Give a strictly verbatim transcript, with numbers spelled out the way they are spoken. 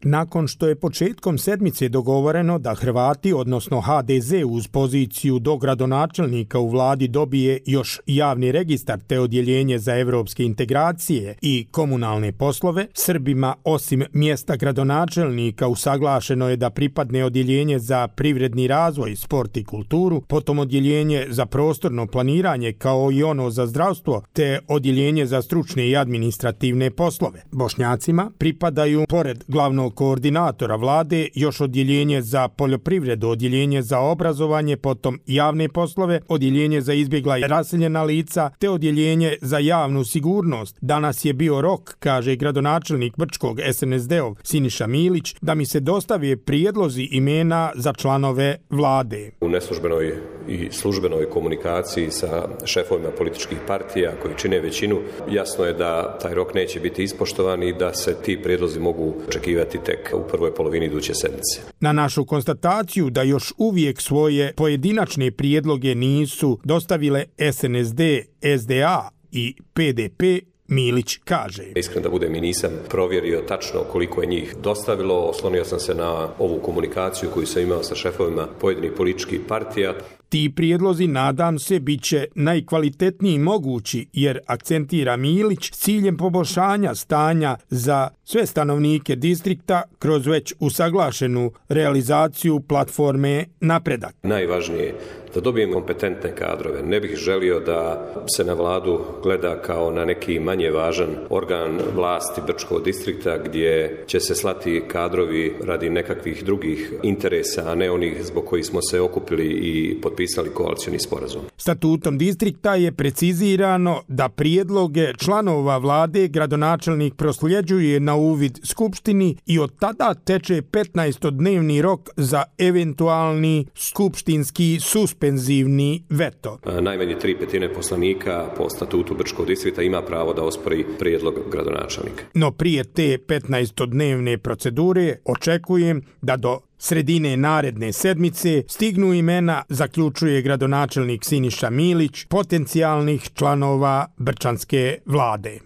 Nakon što je početkom sedmice dogovoreno da Hrvati, odnosno ha de ze uz poziciju dogradonačelnika u vladi dobije još javni registar te odjeljenje za evropske integracije i komunalne poslove, Srbima osim mjesta gradonačelnika usaglašeno je da pripadne odjeljenje za privredni razvoj, sport i kulturu, potom odjeljenje za prostorno planiranje kao i ono za zdravstvo te odjeljenje za stručne i administrativne poslove. Bošnjacima pripadaju pored glavnog koordinatora vlade još odjeljenje za poljoprivredu, odjeljenje za obrazovanje, potom javne poslove, odjeljenje za izbjegla i raseljena lica te odjeljenje za javnu sigurnost. Danas je bio rok, kaže gradonačelnik Brčkog es en es de-ov Siniša Milić, da mi se dostave prijedlozi imena za članove vlade. U neslužbenoj i službenoj komunikaciji sa šefovima političkih partija koji čine većinu, jasno je da taj rok neće biti ispoštovan i da se ti prijedlozi mogu očekivati tek u prvoj polovini iduće sedmice. Na našu konstataciju da još uvijek svoje pojedinačne prijedloge nisu dostavile es en es de, es de a i pe de pe, Milić kaže. Iskren da budem i nisam provjerio tačno koliko je njih dostavilo, oslonio sam se na ovu komunikaciju koju sam imao sa šefovima pojedinih političkih partija. Ti prijedlozi, nadam se, bit će najkvalitetniji mogući, jer akcentira Milić, s ciljem poboljšanja stanja za sve stanovnike distrikta kroz već usaglašenu realizaciju platforme Napredak. Najvažnije da dobijemo kompetentne kadrove. Ne bih želio da se na vladu gleda kao na neki manje važan organ vlasti Brčkog distrikta gdje će se slati kadrovi radi nekakvih drugih interesa, a ne onih zbog kojih smo se okupili i potpisali koalicioni sporazum. Statutom distrikta je precizirano da prijedloge članova vlade gradonačelnik prosljeđuje na uvid skupštini i od tada teče petnaestodnevni rok za eventualni skupštinski suspenzivni veto. Najmanje tri petine poslanika po statutu Brčkog distrikta ima pravo da ospori prijedlog gradonačelnika. No prije te petnaestodnevne procedure očekujem da do sredine naredne sedmice stignu imena, zaključuje gradonačelnik Siniša Milić, potencijalnih članova brčanske vlade.